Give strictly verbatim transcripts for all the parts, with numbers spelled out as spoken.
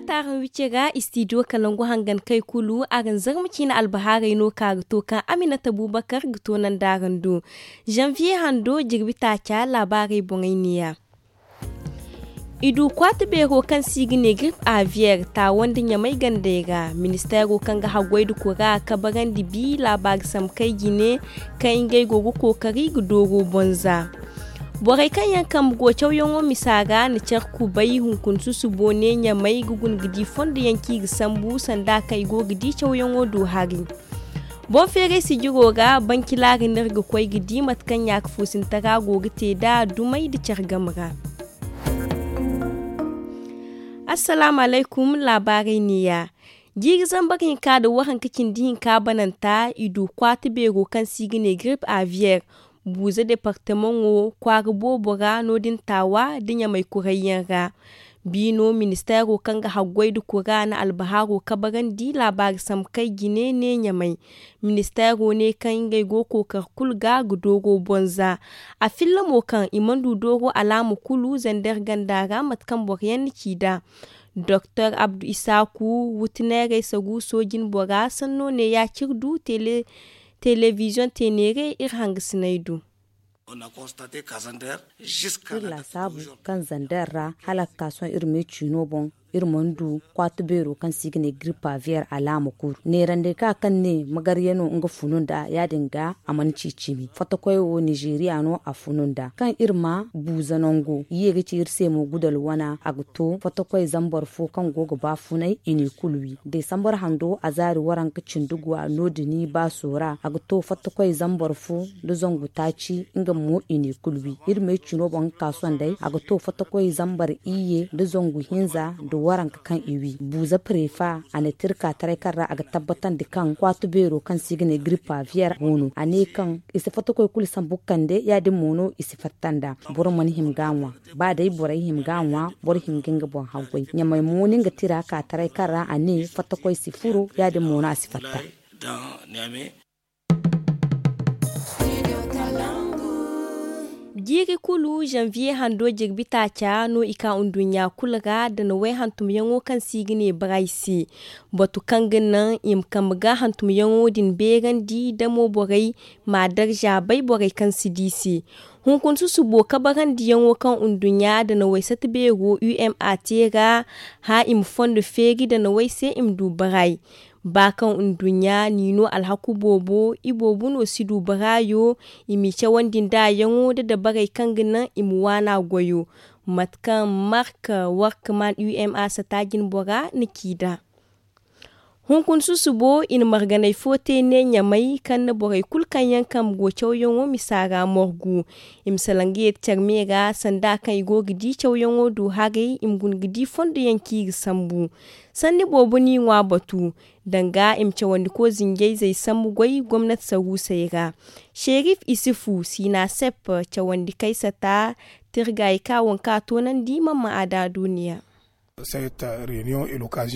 Taaraŋ wicce ga istidiyo kalangu hangan kay kulu araŋ zarma ciine albahaarey no ka ga to kaŋ aminata bubakar ga to nanda araŋ do. Zanviye hando jirbi taaca laabaarey boŋey neeya. I du kwaati beero kaŋ se i ga ne girip aviyeer taawo nda ɲamay gandey ra. Ministeero kaŋ ga haggoy nda kura kabarandi bi laabaari sambu kay jine kaŋ ngey go ga kookari ga dooro bonza. Borey kaŋ yaŋ kambe go cawyaŋo misa ra na care kubay hunkuna susubo ne ɲamay ga guna ga di fondo yaŋ kaŋ i ga sambu sanda kaŋ i go ga di cawyaŋo do hari. Boŋ feeray sijiro ra bancilaari no iri ga koy ga di mate kaŋ ɲaaka fuusintara go ga te nd'a dumey nda care game ra. Assalaamu alaykum. Laabaarey neeya. Jiiri zambar hinka nda waranka cindi hinka bananta i du kwaati beero kaŋ se i ga ne girip aviyeer buuza departemaŋo kwaara boobo ra no- din taawa nda ɲamay kurayyaŋ ra. Biino ministeero kaŋ ga haggoy nda kura na albahaaro kabarandi laabaari sambu kay jine ne ɲamay. Ministeero ne kaŋ ngey go kookar kulu ga ga dooro bonza. A filla mo kaŋ i mana du dooro alaama kulu zander ganda ra mate kaŋ boro yaŋ na ci nd'a. Doktor abdu isaaku wutineerey sagu soojin bora sanno ne ya ciri du telebiziyoŋ teeneere iri hangasiney do. Iri laasaabu kaŋ zander ra hala ga ka sohõ iri me ciino boŋ iri mana du kwaati beero kaŋ se i ga ne giripaviyer alaama kulu neerandey ka kaŋ ne magarya no nga funu nd'a ya- din ga a mana ci cimi fotokoy wo nizeeriya no a funu nd'a kaŋ iri ma buuza nango ye ga ci iri se mo gudal wana a ga to fotokoy zambar fo kaŋ go ga ba funay i n'i kulu wi desambar hando a zaari waranka cindi guwa no- din baaso ra a ga to fotokoy zambar fo nda zangu taaci nga mo i n'i kulu wi iri me cino boŋ ga ka sondey a ga to fotokoy zambar iyye nda zangu hinza nda waranka kaŋ i wi buuza prefa a na te iri ka taray kaŋ ra a ga tabbatandi kaŋ kwaati beero kaŋ se i ga ne giripaviyer go no a ne kaŋ i si fotokoy kulu sambu ga kande ya- din mo no i si fatta nd'a boro mana hima ga a ŋwa ba day borey hima ga a ŋwa boro hima ga nga boŋ haggoy ɲamay mo no nga tira ka taray kaŋ ra a ne fotokoy si furo ya- din mo no a si fatta. Jiiri kulu zanviye hando jirbi taaca no i ka nduɲɲa kulu ra da na way hantumyaŋo kaŋ se i ga ne baray se. Batu kaŋ ga naŋ i ma kambe ga hantumyaŋo din beerandi damo borey ma a darza bay borey kaŋ si di se. Hunkuna susubo kabarandiyaŋo kaŋ nduɲɲa da na way sata beero u m a te ra hã i ma fondo feeri da na way se i ma du baray. Ba kaŋ nduɲɲa n'i no alhaku boobo iboobo no si du baraayo i m'i cawandi nd'a yaŋo nda dabarey kaŋ ga naŋ i ma waana goyo. Mate kaŋ mark workman u m a sata jinbora na ci nd'a. Hunkuna susubo i na marganey fo te ne ɲamay kaŋ na borey kulu kaŋ yaŋ kambe go cawyaŋo misa ra morgu. I ma salaŋ ga ye care me ra sanda kaŋ i go ga di cawyaŋo do haray i ma guna ga di fondo yaŋ kaŋ i ga sambu. Sanni boobo n'i ŋwa batu danga i ma cawandiko zinjayzey sambu goy gomnati saruusey ra. Serif isifu sina sepp cawandi kaysata tirgay ka waŋ ka toonandi mamma a da duuniya.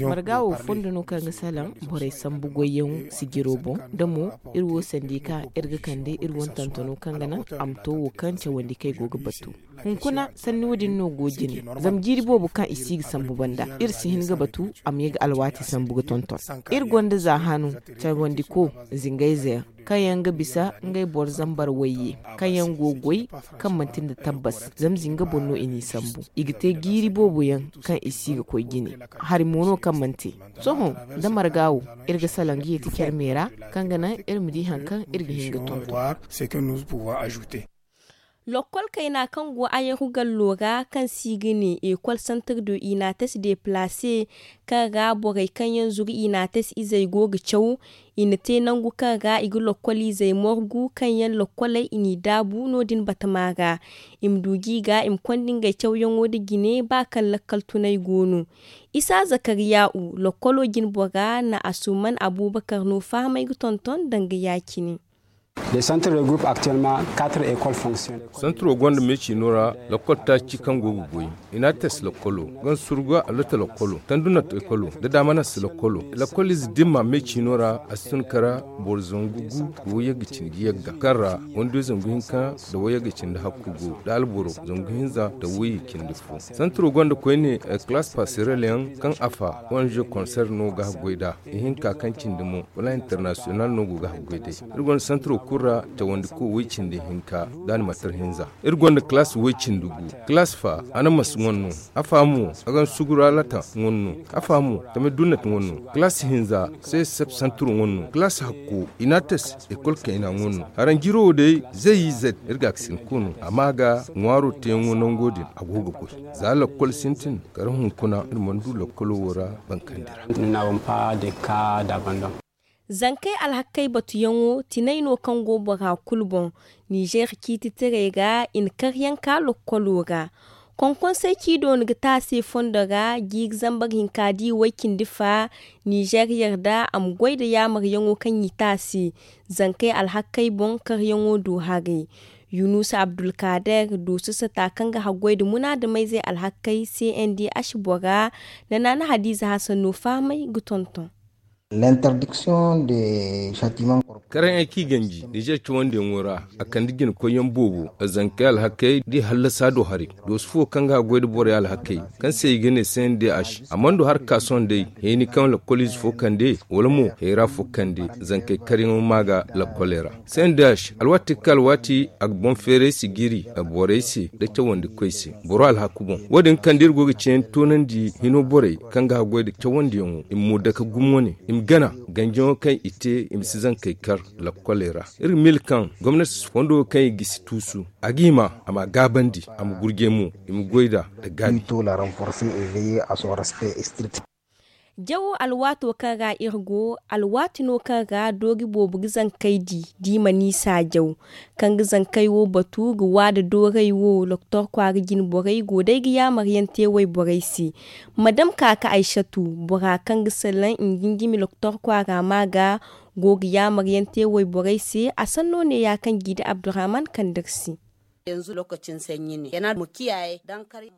Marga wo fondo no kaŋ ga salaŋ borey sambu goyyaŋo sijiro boŋ da mo iri wo sandi ka iri ga kande iri wane tantano kaŋ ga naŋ a ma to wo kaŋ cawandi kaŋ ay go ga batu. Hunkuna sanni wo- din no go jine zama jiiri boobo kaŋ i si ga sambu banda iri si hin ga batu a ma ye ga alwaati sambu ga tonton. Iri gonda za hanu cawandiko zingayze yaŋ kaŋ yaŋ ga bisa ngey boro zambar wayye kaŋ yaŋ go goy kaŋ manti nda tabbas zama zinga boŋ no i n'i sambu. I ga te jiiri boobo yaŋ kaŋ i si ga koy jine. Hari mo no kaŋ mana te. Sohõ da marga wo iri ga salaŋ ga yeeti care me ra kaŋ ga naŋ iri ma di hari kaŋ iri ga hin ga tonton. Lokkol kayna kaŋ go ayaru gallo ra kaŋ se i ga ne ekol santar do inates deplase kaŋ ra borey kaŋ yaŋ zuru inates izey go ga caw. I na te nangu kaŋ ra i ga lokkol izey morgu kaŋ yaŋ lokkoley i n'i daabu no- din batama ra. I ma du ga i ga i ma konda ngey cawyaŋo nda jine ba kaŋ lakkal tunay go no. Isa zakariya'u lokkolo jinbora na asuman abubakar no fahamay ga tonton danga ya- cine. Les centres regroupent actuellement quatre écoles fonctionnelles. Santiro gonda me ciino ra, lakkol taaci kaŋ go ga goy. Inates lakkolo, gansurga alata lakkolo, tandunat ekolo nda damanas lakkolo. Lakkol ize dimma me ciino ra, a si tun kara boro zangu gu nda wayagga cindi yagga kaŋ ra wando zangu hinka nda wayagga cindi hakku go, nda alboro zangu hinza nda wayye cindi fo. Santiro gonda koyne, kalaas passerelle yaŋ kaŋ afa ong konser no ga haggoy nd'a. Ihinka kaŋ cindi mo, wala international no go ga haggoy day. Iri gonda santiro kulu ra cawandi ko way cindi hinka, da animatar hinza. Iri gonda kalaas way cindi gu. Kalaas fa, anamas ŋwanno. Afa mo, agan sugura lata ŋwanno. Afa mo, tame dunnat ŋwanno. Kalaas hinza, se sep santiro ŋwanno. Kalaas hakko, inates ekol kayna ŋwanno. Haranjiro wo day, zay zet iri ga ga sin kunu. Amma ga ŋwaaro teeyaŋo nango din, a go ga goy. Za lakkol sintin, kala hunkuna iri mana du lakkolo wo ra bankandi ra. Nous n'avons pas de cas d'abandon. Zankey alhakkey batuyaŋo tinay no kaŋ go bora kulu boŋ. Nizeer ciititaray ra i na karyaŋ ka lokkolo ra. Konkonsey ci doona ga te a se fondo ra, jiiri zambar hinka di way cindi fa. Nizeer yarda a ma goy nda yaamaryaŋo kaŋ i te a se. Zankey alhakkey boŋ karyaŋo du haray. Yunusa abdulkaader, dooso sata kaŋ ga haggoy nda munaadamayzey alhakkey, cndh bora, nda naana hadiiza hasan no fahamay ga tonton. L'interdiction de châtiment corporel. Karaŋey kaŋ i ganji nizeer cawandiyaŋo ra, a kande jina koyyaŋ boobo, zankey alhakkey da i hallasa do haray. Dooso fo kaŋ ga haggoy nda borey alhakkey, kaŋ se i ga ne cndh, a mana du hala ka sohõ day. Hayni kaŋ lakkoliize fo kande, wala mo hayra fo kande, zankey karyaŋo ma ga lakkoley ra. Cndh, alwaati ga ka alwaati, a ga boŋ feeray si jiiri borey se nda cawandikoy se boro alhaku boŋ. Wo- din kaŋ da iri go ga ceeyaŋ toonandi hino borey kaŋ ga haggoy nda cawandiyaŋo, i ma mo dake gumo wane, i ma gana ganjaŋo kaŋ i te, i ma si zankey kar lakkoley ra. Iri ga miila kaŋ gomnati fondo kaŋ i gisi tuusu, a ga hima a ma a gaabandi, a ma gurjay mo, i ma goy nd'a nda gaabi. Jawo alwaato kaŋ ra iri go, alwaati no kaŋ ra doori boobo ga zankey di, da i mana i saajaw. Kaŋ ga zankey wo batu ga waada doorey wo, loktor kwaara jine borey go day ga yaamaryaŋ te wayborey se. Madam kaaka aysatu, bora kaŋ ga salaŋ nda njimi loktor kwaara ma ga, go ga yaamaryaŋ te wayborey se, a sanno neeya kaŋ jiidi abdurahman kande iri se.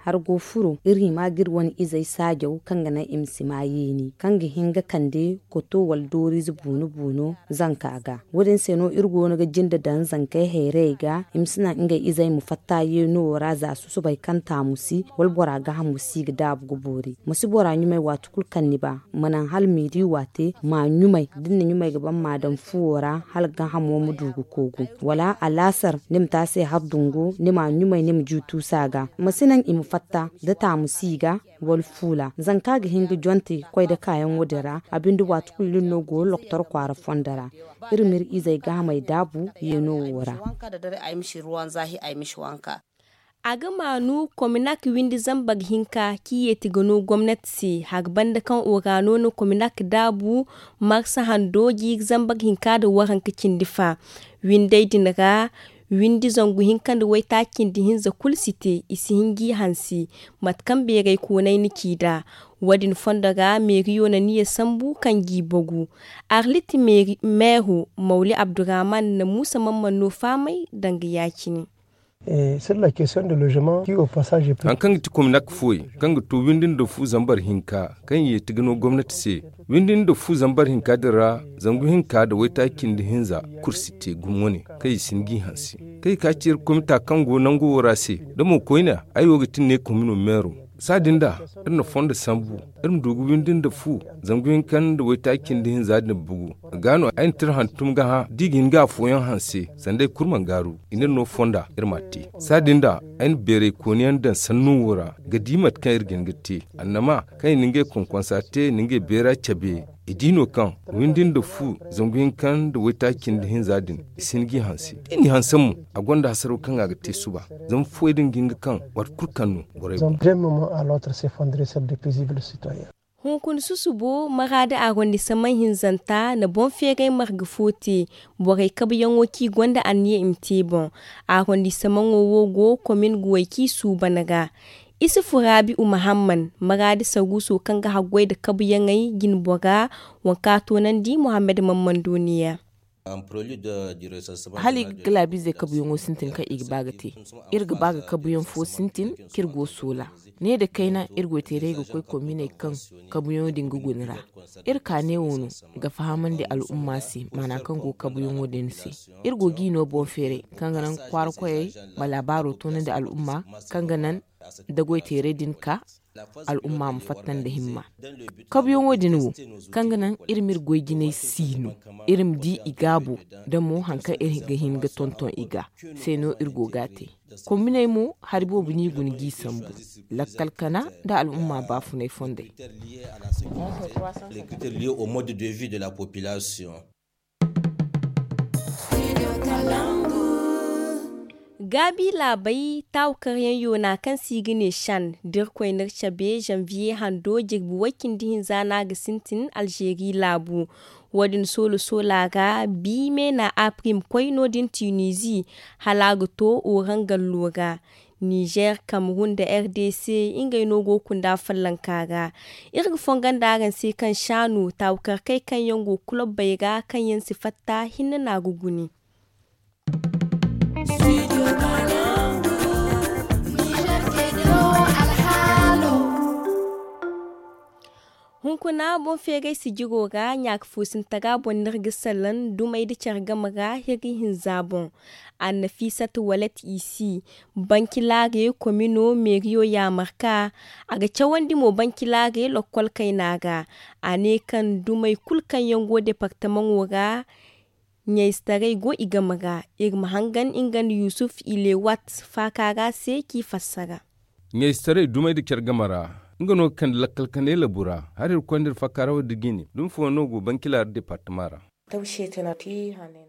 Har go furo iri hima ga iri wane izey saajaw kaŋ ga naŋ i ma si ma yeeni kaŋ ga hin ga kande koto wala dooriize buuno buuno zanka ga. Wo- din se no iri go no ga jinde daŋ zankey hayrayey ga, i ma si naŋ ngey izey ma fatta yeeno wo ra za susubay kaŋ taamu si wala bora gaahamo si ga daabu ga boori. Ma si bora ɲumay waati kulu kaŋ ni ba, ma naŋ hala meeri waate ma ɲumay da ni na ɲumay ga ban ma daŋ fuwo ra hala gaahamo ma du ga koogu. Wala alaasar ni ma te a se har dungu ni ma ɲumay ni ma ju tuusa ga. Ma si naŋ i ma fatta da taamu si ga wala fuula. Zanka ga hin ga jonte koy da kaayaŋo din ra, a binde waati kulu iri no go loktor kwaara fondo ra. Iri ma iri izey gaahamey daabu yeeno wo ra. A ga maanu kominak windi zambar hinka kaŋ i yeeti ga no gomnati se, hari banda kaŋ orano na kominak daabu marsa hando jiiri zambar hinka nda waranka cindi fa. Windey din ra, windi zangu hinka nda waytaaci cindi hinza kulu si te, i si hin g'i hanse. Mate kaŋ beeray koonay na ci nd'a, wo- din fondo ra meeriyo na niya sambu kaŋ g'i bagu. Arlit meero mawli abdurahman na muusa mamman no fahamay danga ya-cine. Hari kaŋ ga ti kominak fuwey kaŋ ga to windi nda fu zambar hinka kaŋ i yeeti ga no gomnati se. Windi nda fu zambar hinka din ra, zangu hinka nda waytaaci cindi hinza kulu si te gumo wane kaŋ i si hin g'i hanse. Kaŋ i ka ci iri komita kaŋ go nango wo ra se. Da mo koyne, ay wo ga ti ne komino meero. Saadin da iri na fondo sambu, iri ma du ga windi nda fu zangu hinka nda waytaaci cindi hinza din bugu. Ga no ay na tira hantum ga hã da i ga hin ga afooyaŋ hanse sanda ay kulu mana gaaru. I n'iri no fonda iri m'a te. Saadin da ay na beeray kooniyaŋ daŋ sanno wo ra ga di mate kaŋ iri ga hin ga te. Annama kaŋ i na ngey konkonsa te i na ngey beera cabe. I di no kaŋ windi nda fu zangu hinka nda waytaaci cindi hinza din, i si hin g'i hanse. Da i n'i hanse mo, a gonda hasaraw kaŋ a ga te suba. Zama fuwey din ga hin ga kaŋ waati kulu kaŋ no borey boŋ. Hunkuna susubo maraadi arrondissement hinzanta na boŋ feeray marga fo te. Borey kabuyaŋo kaŋ i gonda anniya i ma te boŋ. Arrondissement wo go komin guwey kaŋ i suuban ra. Isufu raabi'u mahamman maraadi saruuso kaŋ ga haggoy nda kabuyaŋey jinbora, waŋ kaŋ a toonandi muhammad mammando neeya. Hala i ga galaabiizey kabuyaŋo sintin kaŋ i ga ba ga te. Iri ga ba ga kabuyaŋ fo sintin kaŋ iri go soola. Ne nda kayna, iri goyteerey ga koy kominey kaŋ kabuyaŋo din ga guna ra. Iri ka ne wo no ga fahamandi al'umma se maana kaŋ go kabuyaŋo din se. Iri go ga i no boŋ feeray kaŋ ga naŋ kwaara koyey ma laabaaro toonandi al'umma kaŋ ga naŋ da goyteerey din ka al'umma ma fatta nda himma. Kabuyaŋo din wo, kaŋ ga naŋ iri ma iri goy jinay siino, iri ma di i gaabo, da mo haŋ kaŋ iri ga hin ga tonton i ga se no iri go ga a te. Kombiney mo, hari boobo no i guna g'i sambu lakkal kana nda al'umma baafunay fondey. Gaabi laabey, taawakaryaŋ yoona kaŋ se i ga ne shan da irkoy n'iri cabe zanviye hando jirbi way-cindi-hinza no a ga sintin alzeeri laabu. Wo-din soolo-soola ra, bi meena aprim koy no-din tinizi, hala a ga to orangallo ra. Nizer, kamerun nda r d c, ngey no go ga kunda follanka ra. Iri ga fongon da araŋ se kaŋ shaanu taawakarkey kaŋ yaŋ go kulobbey ra kaŋ yaŋ si fatta hinne no a ga gune. Hunkuna boŋ feeray sijiro ra ɲaaka fuusintara boŋ no iri ga salaŋ dumey nda care game ra hirri hinza boŋ. Annafisat walet isi, bankilaare komino meeriyo yaamarka. A ga cawandi mo bankilaare lokkol kayna ra. A ne kaŋ dumey kulu kaŋ yaŋ go departamaŋo ra ɲayzetaray go i game ra. Iri ma hangan nga nda yusuf ilewat faaka ra se k'i fassara. Ɲayzetaray dumey nda care game ra, nga no ga kande lakkal kanay labu ra. Hari iri koy nda iri faaka ra wo- din ga i ne dumi fooyaŋ no go bankilaare departama ra.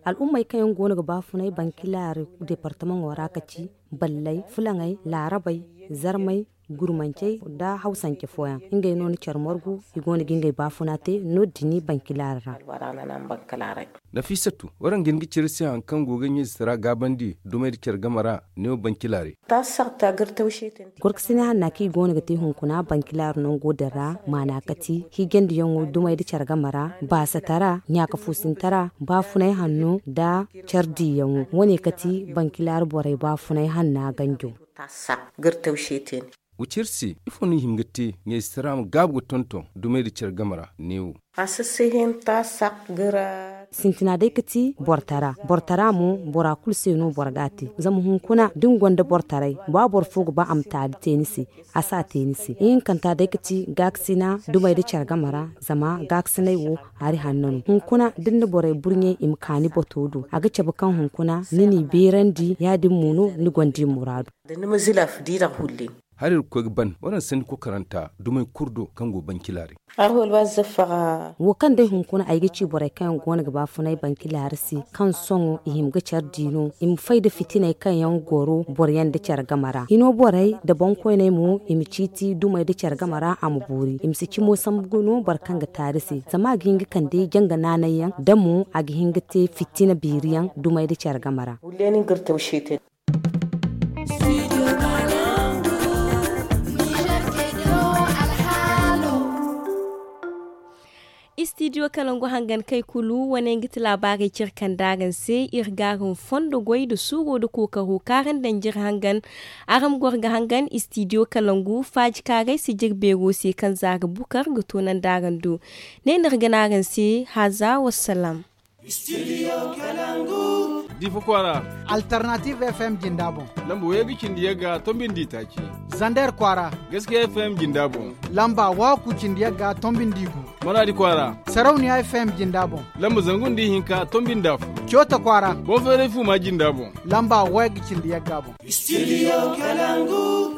Al'ummey kaŋ yaŋ go no ga baafunay bankilaare departamaŋo ra ka ci balley fulaŋey laarabey zarmey gurmancey nda hawsance fooyaŋ. Ngey no na care margu i go no ga ngey baafuna te no- din bankilaare ra. Nafisatu, waraŋ ga hin ga cire se hari kaŋ go ga ɲayzetaray gaabandi dumey nda care game ra neewo bankilaare. Gorkasina hanna kaŋ i go no ga te hunkuna bankilaare nango din ra maana kati hiijandiyaŋo dumey nda care game ra baasatara ɲaaka fuusintara baafunay hanno nda care diiyaŋo. Wo- ne kati bankilaare borey baafunay hanna ganjo. Wa ci iri se ifo no i hima ga te ɲayzetaray ma gaabu ga tonton dumey nda care game ra neewo. Sintina day ga ti bortara. Bortara mo bora kulu se no boro ga a te zama hunkuna da ni gonda bortaray ba boro fo ga ba a ma taali te ni se. A si a te ni se ihinkanta day ga ti gaakasina dumey nda care game ra. Zama gaakasinay wo hari hanno no hunkuna da ni na borey burɲey i ma ka ni bato do a ga cabe kaŋ hunkuna ni n'i beerandi ya- din mo no ni gonda i muraadu. Hari iri ga koy ga ban waraŋ sanni kokaranta dumey kulu do kaŋ go bankilaare. Wo kaŋ day hunkuna ay ga ci borey kaŋ yaŋ go no ga baafunay bankilaare se kaŋ sohõ i hima ga care di no i ma fay nda fitiney kaŋ yaŋ goro boroyaŋ nda care game ra hino borey nda boŋkoyney mo i ma ciiti dumey nda care game ra a ma boori i ma si cimo sambu no boro kaŋ ga taari se zama a ga hin ga kande janga naanay yaŋ da mo a ga hin ga te fitina beeri yaŋ dumey nda care game ra. Istidiyo kalangu hangan kay kulu wane nga ti laabaarey cire kaŋ da araŋ se iri ga araŋ fondo goy nda suuro nda kookaro kaara nda njira hangan. Araŋ ma goro ga hangan istidiyo kalangu faaji kaaray si jire beero se kaŋ zaara bukar ga toonandi araŋ do. Ne no iri ga ne araŋ se haza wassalam. Difa kwaara. Alternative f m jinda boŋ. Lamba way ga cindi yagga tombindi taaci. Zander kwaara. Gaskiya f m jinda boŋ. Lamba waku cindi yagga tombindi gu. Maradi kwaara. Sarauniya f m jinda boŋ. Lamba zangu nda ihinka tombindi afo. Coota kwaara. Boŋ feeray fuma jinda boŋ. Lamba way ga cindi yagga boŋ. Studio Kalangu.